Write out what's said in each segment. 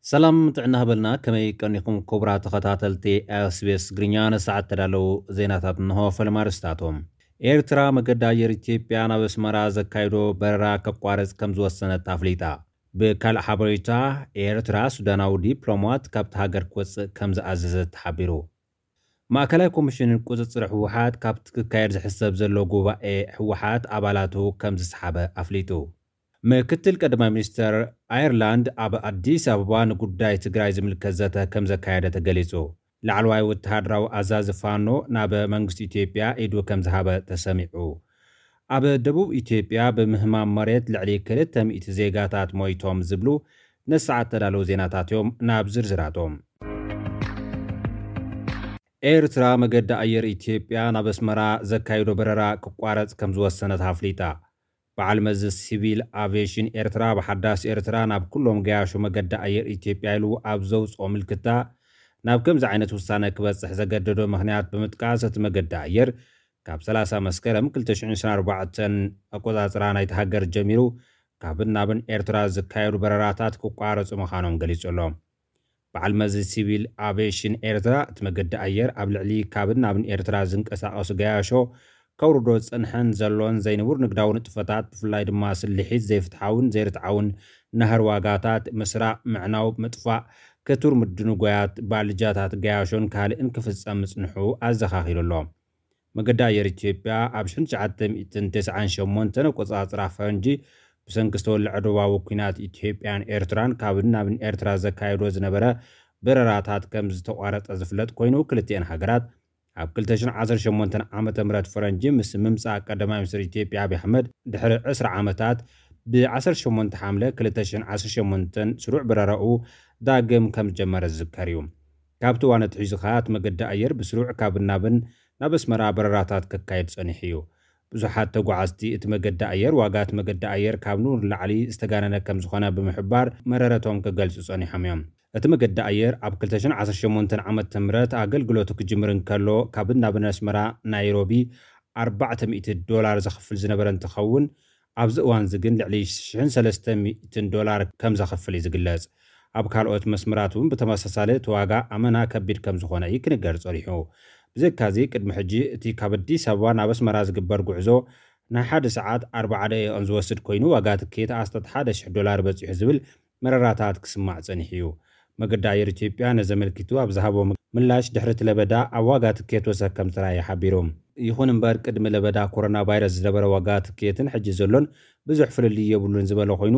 ሰላም ጥዕና ሃበልና። ከመይ ቀኒኹም ክቡራት ተኸታተልቲ ኤስቢኤስ ትግርኛ? ንሰዓት ተዳለዉ ዜናታት እንሆ። ፈለማ ኣርእስታቶም። ኤርትራ መገዲ ኣየር ኢትዮጵያ ናብ ኣስመራ ዘካይዶ በረራ ከቋርጽ ከም ዝወሰነት ኣፍሊጣ። ብካልእ ሓበሬታ፣ ኤርትራ ሱዳናዊ ዲፕሎማት ካብቲ ሃገር ክወጽእ ከም ዝኣዘዘት ተሓቢሩ። ማእከላይ ኮሚሽን ቁጽጽር ህወሓት ካብቲ ክካየድ ዝሕሰብ ዘሎ ጉባኤ ህወሓት ኣባላቱ ከም ዝሰሓበ ኣፍሊጡ። ምክትል ቀዳማይ ሚኒስተር ኣየርላንድ ኣብ ኣዲስ ኣበባ ንጉዳይ ትግራይ ዝምልከት ዘተ ከም ዘካየደ ተገሊጹ። ላዕለዋይ ወተሃደራዊ ኣዛዚ ፋኖ ናብ መንግስቲ ኢትዮጵያ ኢዱ ከም ዝሃበ ተሰሚዑ። ኣብ ደቡብ ኢትዮጵያ ብምህማም መሬት ልዕሊ ክልተ ሚእቲ ዜጋታት ሞይቶም ዝብሉ ነሰዓት ተዳለዉ ዜናታት እዮም። ናብ ዝርዝራቶም። ኤርትራ መገዲ ኣየር ኢትዮጵያ ናብ ኣስመራ ዘካይዶ በረራ ክቋረጽ ከም ዝወሰነት ኣፍሊጣ። በዓል መዚ ሲቪል ኣቪዬሽን ኤርትራ፣ ብሓዳስ ኤርትራ ናብ ኩሎም ገያሾ መገዲ ኣየር ኢትዮጵያ ኢሉ ኣብ ዘውጽኦ ምልክታ፣ ናብ ከምዚ ዓይነት ውሳነ ክበጽሕ ዘገደዶ ምኽንያት ብምጥቃስ፣ እቲ መገዲ ኣየር ካብ ሰላሳ መስከረም ክልተ ሽሕን ዕስራን ኣርባዕተን ኣቆጻጽራ ናይቲ ሃገር ጀሚሩ፣ ካብን ናብን ኤርትራ ዝካየዱ በረራታት ክቋረጹ ምዃኖም ገሊጹ ኣሎ። በዓል መዚ ሲቪል ኣቪዬሽን ኤርትራ፣ እቲ መገዲ ኣየር ኣብ ልዕሊ ካብን ናብን ኤርትራ ዝንቀሳቐሱ ገያሾ ከውርዶ ዝጸንሐን ዘሎን ዘይንቡር ንግዳዊ ንጥፈታት፣ ብፍላይ ድማ ስልሒት፣ ዘይፍትሓውን ዘይርትዓውን ናህሪ ዋጋታት፣ ምስራቕ፣ ምዕናው፣ ምጥፋእ፣ ክቱር ምድንጓያት፣ ባልጃታት ገያሾን ካልእን ክፍጸም ምጽንሑ ኣዘኻኺሩ ኣሎ። መገዲ ኣየር ኢትዮጵያ ኣብ ሽሕን ትሽዓተ ሚእትን ተስዓን ሸሞንተን ኣቆጻጽራ ፈረንጂ፣ ብሰንኪ ዝተወልዐ ዶባዊ ኲናት ኢትዮጵያን ኤርትራን፣ ካብን ናብን ኤርትራ ዘካየዶ ዝነበረ በረራታት ከም ዝተቋረጸ ዝፍለጥ ኮይኑ፣ ክልቲኤን ሃገራት ኣብ ክልተ ሽሕን ዓሰርተ ሸሞንተን ዓመተ ምህረት ፈረንጂ፣ ምስ ምምጻእ ቀዳማይ ሚኒስትር ኢትዮጵያ ኣብይ ኣሕመድ ድሕሪ ዕስራ ዓመታት፣ ብ ዓሰርተ ሸሞንተ ሓምለ ክልተ ሽሕን ዓሰርተ ሸሞንተን ስሩዕ በረራኡ ዳግም ከም ዝጀመረ ዝዝከር እዩ። ካብቲ እዋን ኣትሒዙ ኸኣ፣ እቲ መገዲ ኣየር ብስሩዕ ካብን ናብን ናብ ኣስመራ በረራታት ከካይድ ጸኒሑ እዩ። ብዙሓት ተጓዓዝቲ፣ እቲ መገዲ ኣየር ዋጋ እቲ መገዲ ኣየር ካብ ንቡር ንላዕሊ ዝተጋነነ ከም ዝኾነ ብምሕባር፣ መረረቶም ክገልጹ ጸኒሖም እዮም። እቲ መገዲ ኣየር ኣብ ክልተ ሽሕን ዓሰርተ ሸሞንተን ዓመተ ምህረት ኣገልግሎቱ ክጅምር እንከሎ፣ ካብን ናብን ኣስመራ ናይሮቢ ኣርባዕተ ሚእቲ ዶላር ዘኽፍል ዝነበረ እንትኸውን፣ ኣብዚ እዋን እዚ ግን ልዕሊ ሽሕን ሰለስተ ሚእትን ዶላር ከም ዘኽፍል እዩ ዝግለጽ። ኣብ ካልኦት መስመራት እውን ብተመሳሳሊ እቲ ዋጋ ኣመና ከቢድ ከም ዝኾነ እዩ ክንገር ጸኒሑ። ብዘይካዚ፣ ቅድሚ ሕጂ እቲ ካብ ኣዲስ ኣበባ ናብ ኣስመራ ዝግበር ጉዕዞ ናይ ሓደ ሰዓት ኣርባዓ ደቂቕን ዝወስድ ኮይኑ፣ ዋጋ ትኬት ኣስታት ሓደ ሽሕ ዶላር በጺሑ ዝብል መረራታት ክስማዕ ጸኒሑ እዩ። መገዲ ኣየር ኢትዮጵያ ነዚ ኣመልኪቱ ኣብ ዝሃቦ ምላሽ፣ ድሕሪ እቲ ለበዳ ኣብ ዋጋ ትኬት ወሰኽ ከም ዝተራእየ ሓቢሩ። ይኹን እምበር፣ ቅድሚ ለበዳ ኮሮና ቫይረስ ዝነበረ ዋጋ ትኬትን ሕጂ ዘሎን ብዙሕ ፍልልይ የብሉን ዝበለ ኮይኑ፣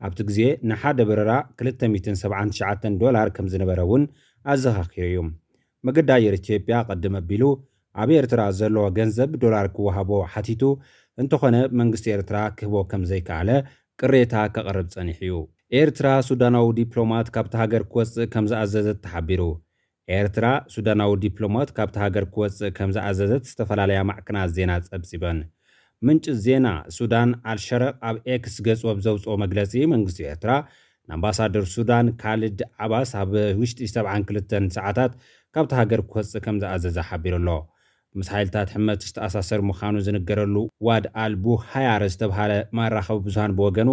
ኣብቲ ግዜ ንሓደ በረራ ክልተ ሚእትን ሰብዓን ትሽዓተን ዶላር ከም ዝነበረ እውን ኣዘኻኺሩ እዩ። መገዲ ኣየር ኢትዮጵያ ቅድም ኣቢሉ ኣብ ኤርትራ ዘሎ ገንዘብ ዶላር ክወሃቦ ሓቲቱ፣ እንተኾነ መንግስቲ ኤርትራ ክህቦ ከም ዘይከኣለ ቅሬታ ከቕርብ ጸኒሑ እዩ። ኤርትራ ሱዳናዊ ዲፕሎማት ካብቲ ሃገር ክወጽእ ከም ዝኣዘዘት ተሓቢሩ። ኤርትራ ሱዳናዊ ዲፕሎማት ካብቲ ሃገር ክወጽእ ከም ዝኣዘዘት ዝተፈላለያ ማዕከናት ዜና ጸብጺበን። ምንጪ ዜና ሱዳን ኣልሸረቕ ኣብ ኤክስ ገጹ ኣብ ዘውጽኦ መግለጺ፣ መንግስቲ ኤርትራ ንኣምባሳደር ሱዳን ካልድ ዓባስ ኣብ ውሽጢ ሰብዓን ክልተን ሰዓታት ካብቲ ሃገር ክወጽእ ከም ዝኣዘዘ ሓቢሩ ኣሎ። ምስ ሓይልታት ሕመት ዝተኣሳሰር ምዃኑ ዝንገረሉ ዋድ ኣል ቡሃያር ዝተብሃለ መራኸቢ ብዙሃን ብወገኑ፣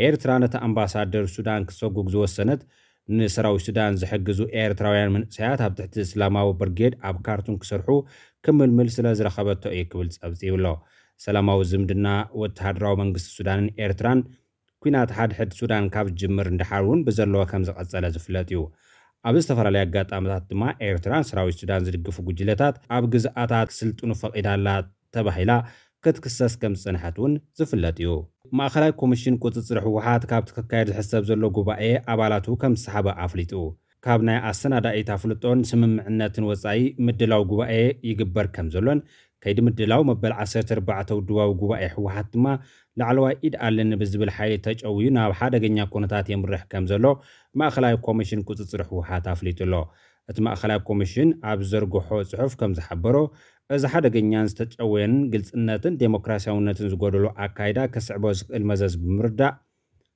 ኤርትራ ነቲ ኣምባሳደር ሱዳን ክትሰጉግ ዝወሰነት፣ ንሰራዊት ሱዳን ዝሕግዙ ኤርትራውያን መንእሰያት ኣብ ትሕቲ እስላማዊ ብርጌድ ኣብ ካርቱም ክሰርሑ ክምልምል ስለ ዝረኸበቶ እዩ ክብል ጸብጺቡ ኣሎ። ሰላማዊ ዝምድና ወተሃደራዊ መንግስቲ ሱዳንን ኤርትራን፣ ኲናት ሓድሕድ ሱዳን ካብ ዝጅምር ንደሓር እውን ብዘለዎ ከም ዝቐጸለ ዝፍለጥ እዩ። ኣብ ዝተፈላለየ ኣጋጣሚታት ድማ፣ ኤርትራ ንሰራዊት ሱዳን ዝድግፉ ጉጅለታት ኣብ ግዝኣታት ክስልጥኑ ፈቒዳላ ተባሂላ ክትክሰስ ከም ዝጸንሐት እውን ዝፍለጥ እዩ። ማእከላይ ኮሚሽን ቁጽጽር ህወሓት ካብቲ ክካየድ ዝሕሰብ ዘሎ ጉባኤ ኣባላቱ ከም ዝሰሓበ ኣፍሊጡ። ካብ ናይ ኣሰናዳኢት ኣፍልጦን ስምምዕነትን ወጻኢ፣ ምድላው ጉባኤ ይግበር ከም ዘሎን፣ ከይዲ ምድላው መበል ዓሰርተ ኣርባዕተ ውድባዊ ጉባኤ ህወሓት ድማ፣ ላዕለዋይ ኢድ ኣለኒ ብዝብል ሓይሊ ተጨውዩ ናብ ሓደገኛ ኩነታት የምርሕ ከም ዘሎ ማእከላይ ኮሚሽን ቁጽጽር ህወሓት ኣፍሊጡ ኣሎ። እቲ ማእከላይ ኮሚሽን ኣብ ዘርግሖ ጽሑፍ ከም ዝሓበሮ፣ እዚ ሓደገኛን ዝተጨወየን ግልጽነትን ዴሞክራሲያውነትን ዝጎደሎ ኣካይዳ ከስዕቦ ዝኽእል መዘዝ ብምርዳእ፣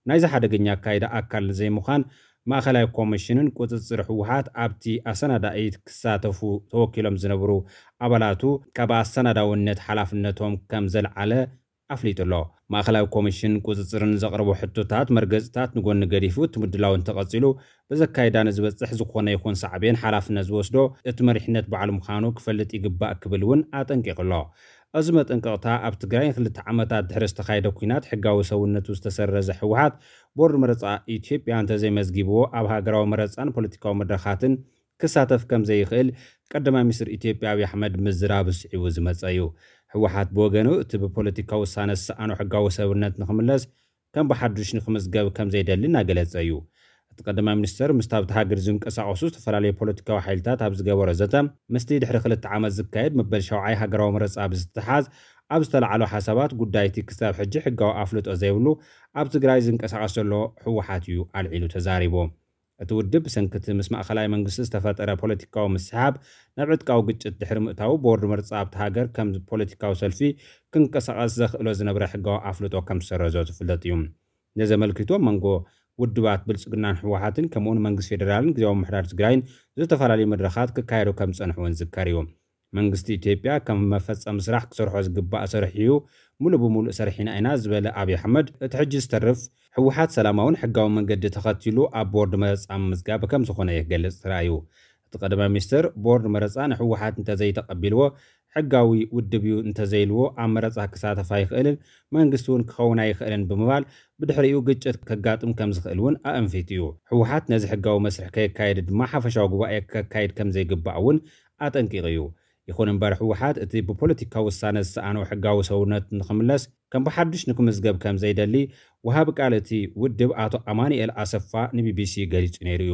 ናይዚ ሓደገኛ ኣካይዳ ኣካል ንዘይምዃን፣ ማእከላይ ኮሚሽንን ቁጽጽር ህወሓት ኣብቲ ኣሰናዳኢት ክሳተፉ ተወኪሎም ዝነበሩ ኣባላቱ ካብ ኣሰናዳውነት ሓላፍነቶም ከም ዘልዓለ ኣፍሊጡ ኣሎ። ማእኸላዊ ኮሚሽን ቁፅፅርን ዘቕረቦ ሕቶታት መርገፅታት ንጎኒ ገዲፉ፣ እቲ ምድላው እንተቐፂሉ ብዘካይዳ ንዝበፅሕ ዝኾነ ይኹን ሳዕቤን ሓላፍነት ዝወስዶ እቲ መሪሕነት ባዕሉ ምዃኑ ክፈልጥ ይግባእ ክብል እውን ኣጠንቂቑ ኣሎ። እዚ መጠንቀቕታ ኣብ ትግራይ ንክልተ ዓመታት ድሕሪ ዝተኻየደ ኲናት ሕጋዊ ሰውነቱ ዝተሰረዘ ህወሓት፣ ቦርድ መረፃ ኢትዮጵያ እንተዘይመዝጊብዎ ኣብ ሃገራዊ መረፃን ፖለቲካዊ መድረኻትን ክሳተፍ ከም ዘይኽእል ቀዳማይ ሚኒስትር ኢትዮጵያ ኣብይ ኣሕመድ ምዝራብ ስዒቡ ዝመፀ እዩ። ህወሓት ብወገኑ እቲ ብፖለቲካዊ ውሳነ ዝሰኣኖ ሕጋዊ ሰብነት ንክምለስ ከም ብሓዱሽ ንክምዝገብ ከም ዘይደሊ እናገለፀ እዩ። እቲ ቀዳማይ ሚኒስትር ምስቲ ኣብቲ ሃገር ዝንቀሳቐሱ ዝተፈላለዩ ፖለቲካዊ ሓይልታት ኣብ ዝገበሮ ዘተ፣ ምስቲ ድሕሪ ክልተ ዓመት ዝካየድ መበል ሻውዓይ ሃገራዊ መረፃ ብዝተሓዝ ኣብ ዝተለዓሉ ሓሳባት፣ ጉዳይቲ ክሳብ ሕጂ ሕጋዊ ኣፍልጦ ዘይብሉ ኣብ ትግራይ ዝንቀሳቐስ ዘሎ ህወሓት እዩ ኣልዒሉ ተዛሪቡ። እቲ ውድብ ብሰንኪ እቲ ምስ ማእኸላይ መንግስቲ ዝተፈጠረ ፖለቲካዊ ምስሕሓብ ናብ ዕጥቃዊ ግጭት ድሕሪ ምእታዉ፣ ቦርድ መርጻ ኣብቲ ሃገር ከም ፖለቲካዊ ሰልፊ ክንቀሳቐስ ዘኽእሎ ዝነበረ ሕጋዊ ኣፍልጦ ከም ዝሰረዞ ዝፍለጥ እዩ። ነዚ ኣመልኪቱ ኣብ መንጎ ውድባት ብልጽግናን ህወሓትን ከምኡውን መንግስቲ ፌደራልን ግዜያዊ ምምሕዳር ትግራይን ዝተፈላለዩ መድረኻት ክካየዱ ከም ዝጸንሑ እውን ዝዝከር እዩ። መንግስቲ ኢትዮጵያ ከም መፈጸሚ ስራሕ ክሰርሖ ዝግባእ ሰሪሑ እዩ፣ ሙሉእ ብሙሉእ ሰሪሕና ኢና ዝበለ ኣብይ ኣሕመድ፣ እቲ ሕጂ ዝተርፍ ህወሓት ሰላማውን ሕጋዊ መንገዲ ተኸቲሉ ኣብ ቦርድ መረጻ ምምዝጋብ ከም ዝኾነ ይገልጽ ተራእዩ። እቲ ቀዳማይ ሚኒስትር፣ ቦርድ መረጻ ንህወሓት እንተዘይተቐቢልዎ ሕጋዊ ውድብ እዩ እንተዘይልዎ ኣብ መረጻ ክሳተፍ ኣይኽእልን፣ መንግስቲ እውን ክኸውን ኣይኽእልን ብምባል፣ ብድሕሪኡ ግጭት ከጋጥም ከም ዝኽእል እውን ኣእንፊቱ እዩ። ህወሓት ነዚ ሕጋዊ መስርሕ ከየካየደ ድማ ሓፈሻዊ ጉባኤ ከካይድ ከም ዘይግባእ እውን ኣጠንቂቑ እዩ። ይኹን እምበር ህወሓት እቲ ብፖለቲካዊ ውሳነ ዝሰኣኖ ሕጋዊ ሰውነት ንኽምለስ ከም ብሓዱሽ ንክምዝገብ ከም ዘይደሊ ወሃቢ ቃል እቲ ውድብ ኣቶ ኣማኑኤል ኣሰፋ ንቢቢሲ ገሊጹ ነይሩ እዩ።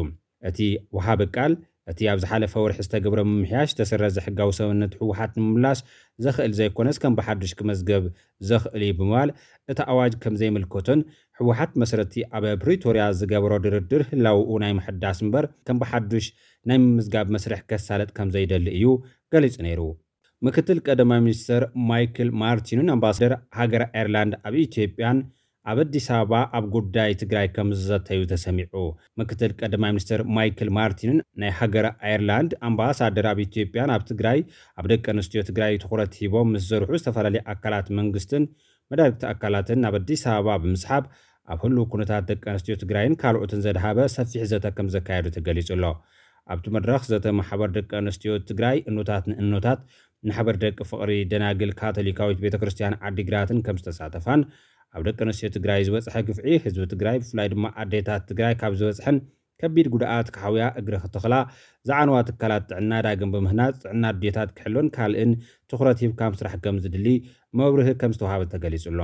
እቲ ወሃቢ ቃል እቲ ኣብ ዝሓለፈ ወርሒ ዝተገብረ ምምሕያሽ ዝተሰረዘ ሕጋዊ ሰውነት ህወሓት ንምምላስ ዘኽእል ዘይኮነስ ከም ብሓዱሽ ክመዝገብ ዘኽእል እዩ ብምባል እቲ ኣዋጅ ከም ዘይምልከቶን ህወሓት መሰረቲ ኣብ ፕሪቶርያ ዝገበሮ ድርድር ህላውኡ ናይ ምሕዳስ እምበር ከም ብሓዱሽ ናይ ምምዝጋብ መስርሕ ከሳለጥ ከም ዘይደሊ እዩ ገሊጹ ነይሩ። ምክትል ቀዳማይ ሚኒስትር ማይክል ማርቲንን ኣምባሳደር ሃገር ኣየርላንድ ኣብ ኢትዮጵያን ኣብ ኣዲስ ኣበባ ኣብ ጉዳይ ትግራይ ከም ዝዘተዩ ተሰሚዑ። ምክትል ቀዳማይ ሚኒስትር ማይክል ማርቲንን ናይ ሃገር ኣየርላንድ ኣምባሳደር ኣብ ኢትዮጵያን ኣብ ትግራይ ኣብ ደቂ ኣንስትዮ ትግራይ ትኹረት ሂቦም ምስ ዝሰርሑ ዝተፈላለዩ ኣካላት መንግስትን መዳርግቲ ኣካላትን ናብ ኣዲስ ኣበባ ብምስሓብ ኣብ ህሉው ኩነታት ደቂ ኣንስትዮ ትግራይን ካልኦትን ዘድሃበ ሰፊሕ ዘተ ከም ዘካየዱ ተገሊጹ ኣሎ። ኣብቲ መድረኽ ዘተ ማሕበር ደቂ ኣንስትዮ ትግራይ እኖታት ንእኖታት ንሓበር ደቂ ፍቕሪ ደናግል ካቶሊካዊት ቤተ ክርስቲያን ዓዲግራትን ከም ዝተሳተፋን ኣብ ደቂ ኣንስትዮ ትግራይ ዝበፅሐ ግፍዒ ህዝቢ ትግራይ ብፍላይ ድማ ኣዴታት ትግራይ ካብ ዝበፅሐን ከቢድ ጉድኣት ክሓውያ እግሪ ክተኽላ ዝዓነዋ ትካላት ጥዕና ዳግም ብምህናፅ ጥዕና ኣዴታት ክሕሎን ካልእን ትኹረት ሂብካ ምስራሕ ከም ዝድሊ መብርሂ ከም ዝተዋሃበ ተገሊጹ ኣሎ።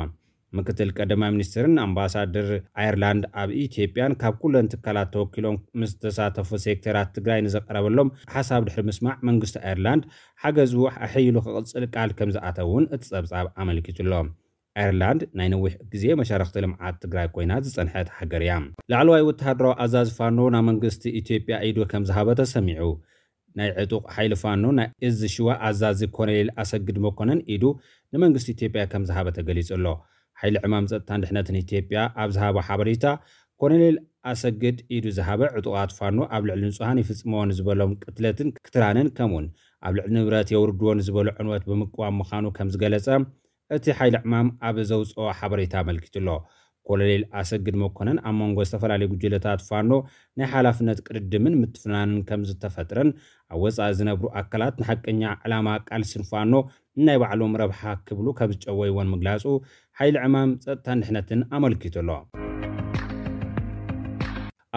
ምክትል ቀዳማይ ሚኒስትርን ኣምባሳደር ኣየርላንድ ኣብ ኢትዮጵያን ካብ ኩለን ትካላት ተወኪሎም ምስ ዝተሳተፉ ሴክተራት ትግራይ ንዘቀረበሎም ሓሳብ ድሕሪ ምስማዕ መንግስቲ ኣየርላንድ ሓገዙ ኣሐይሉ ክቕጽል ቃል ከም ዝኣተውን እቲ ጸብጻብ ኣመልኪቱ ኣሎ። ኣየርላንድ ናይ ነዊሕ ግዜ መሻርኽቲ ልምዓት ትግራይ ኮይና ዝጸንሐት ሃገር እያ። ላዕለዋይ ወተሃደራዊ ኣዛዚ ፋኖ ናብ መንግስቲ ኢትዮጵያ ኢዱ ከም ዝሃበ ተሰሚዑ። ናይ ዕጡቕ ሓይሊ ፋኖ ናይ እዝ ሽዋ ኣዛዚ ኮሎኔል ኣሰግድ መኮነን ኢዱ ንመንግስቲ ኢትዮጵያ ከም ዝሃበ ተገሊጹ ኣሎ። ሓይሊ ዕማም ጸጥታን ድሕነትን ኢትዮጵያ ኣብ ዝሃቦ ሓበሬታ፣ ኮሎኔል ኣሰግድ ኢዱ ዝሃበ ዕጡቓት ፋኖ ኣብ ልዕሊ ንጹሃን ይፍጽምዎ ንዝበሎም ቅትለትን ክትራንን ከምኡውን ኣብ ልዕሊ ንብረት የውርድዎ ንዝበሎ ዕንወት ብምቅዋም ምዃኑ ከም ዝገለጸ እቲ ሓይሊ ዕማም ኣብ ዘውፅኦ ሓበሬታ ኣመልኪቱ ኣሎ። ኮሎኔል ኣሰግድ መኮነን ኣብ መንጎ ዝተፈላለዩ ጉጅለታት ፋኖ ናይ ሓላፍነት ቅድድምን ምትፍናንን ከም ዝተፈጥረን ኣብ ወፃኢ ዝነብሩ ኣካላት ንሓቀኛ ዕላማ ቃልስን ፋኖ ንናይ ባዕሎም ረብሓ ክብሉ ከም ዝጨወይዎን ምግላፁ ሓይሊ ዕማም ጸጥታን ድሕነትን ኣመልኪቱ ኣሎ።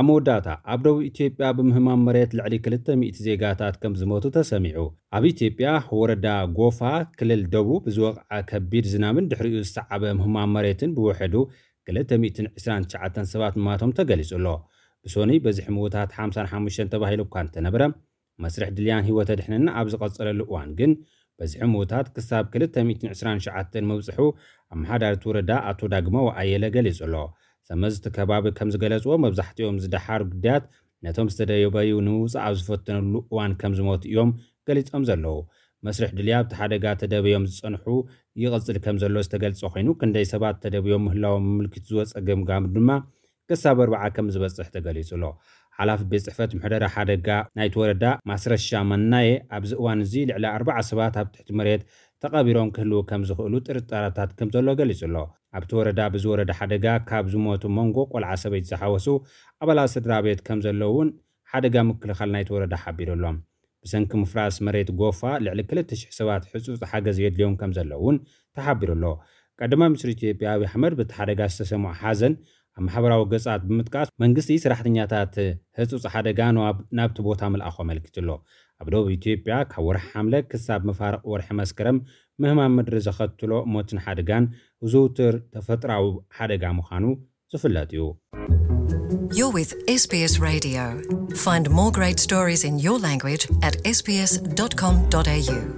ኣብ መወዳእታ፣ ኣብ ደቡብ ኢትዮጵያ ብምህማም መሬት ልዕሊ ክልተ ሚእቲ ዜጋታት ከም ዝሞቱ ተሰሚዑ። ኣብ ኢትዮጵያ ወረዳ ጎፋ ክልል ደቡብ ብዝወቕዐ ከቢድ ዝናብን ድሕሪኡ ዝሰዓበ ምህማም መሬትን ብውሕዱ ክልተ ሚእትን ዕስራን ትሽዓተን ሰባት ምማቶም ተገሊጹ ኣሎ። ብሶኑይ በዝሒ ምዉታት ሓምሳን ሓሙሽተን ተባሂሉ እኳ እንተነበረ፣ መስርሕ ድልያን ህይወት ኣድሕንን ኣብ ዝቐጸለሉ እዋን ግን፣ በዝሒ ምዉታት ክሳብ ክልተ ሚእትን ዕስራን ትሽዓተን ምብጽሑ ኣመሓዳሪ እቲ ወረዳ ኣቶ ዳግማዊ ኣየለ ገሊጹ ኣሎ። ሰመዝቲ ከባቢ ከም ዝገለጽዎ፣ መብዛሕትኦም ዝደሓሩ ግዳያት ነቶም ዝተደበዩ ንምውጻእ ኣብ ዝፈተኑሉ እዋን ከም ዝሞቱ እዮም ገሊጾም ዘለዉ። መስርሕ ድልያ ኣብቲ ሓደጋ ተደብዮም ዝጸንሑ ይቕጽል ከም ዘሎ ዝተገልጸ ኮይኑ፣ ክንደይ ሰባት ተደብዮም ምህላዎም ምምልክት ዝወጸ ገምጋም ድማ ክሳብ ኣርብዓ ከም ዝበጽሕ ተገሊጹ ኣሎ። ሓላፊ ቤት ጽሕፈት ምሕደራ ሓደጋ ናይቲ ወረዳ ማስረሻ መናየ፣ ኣብዚ እዋን እዚ ልዕሊ ኣርብዓ ሰባት ኣብ ትሕቲ መሬት ተቐቢሮም ክህልዉ ከም ዝኽእሉ ጥርጣረታት ከም ዘሎ ገሊጹ ኣሎ። ኣብቲ ወረዳ ብዝወረደ ሓደጋ ካብ ዝሞቱ መንጎ ቆልዓ ሰበይቲ ዝሓወሱ ኣባላት ስድራ ቤት ከም ዘለዉ እውን ሓደጋ ምክልኻል ናይቲ ወረዳ ሓቢሩ ኣሎ። ብሰንኪ ምፍራስ መሬት ጎፋ ልዕሊ ክልተ ሽሕ ሰባት ሕጹጽ ሓገዝ የድልዮም ከም ዘለዉ እውን ተሓቢሩ ኣሎ። ቀዳማይ ሚኒስትር ኢትዮጵያ ኣብይ ኣሕመድ በቲ ሓደጋ ዝተሰምዖ ሓዘን ኣብ ማሕበራዊ ገጻት ብምጥቃስ መንግስቲ ሰራሕተኛታት ህጹጽ ሓደጋ ንዋብ ናብቲ ቦታ ምልኣኹ ኣመልኪቱ ኣሎ። ኣብ ደቡብ ኢትዮጵያ ካብ ወርሒ ሓምለ ክሳብ መፋርቕ ወርሒ መስከረም ምህማን ምድሪ ዘኸትሎ ሞትን ሓደጋን ዝውትር ተፈጥራዊ ሓደጋ ምዃኑ ዝፍለጥ እዩ። You're with S B S Radio. Find more great stories in your language at S B S dot com dot A U.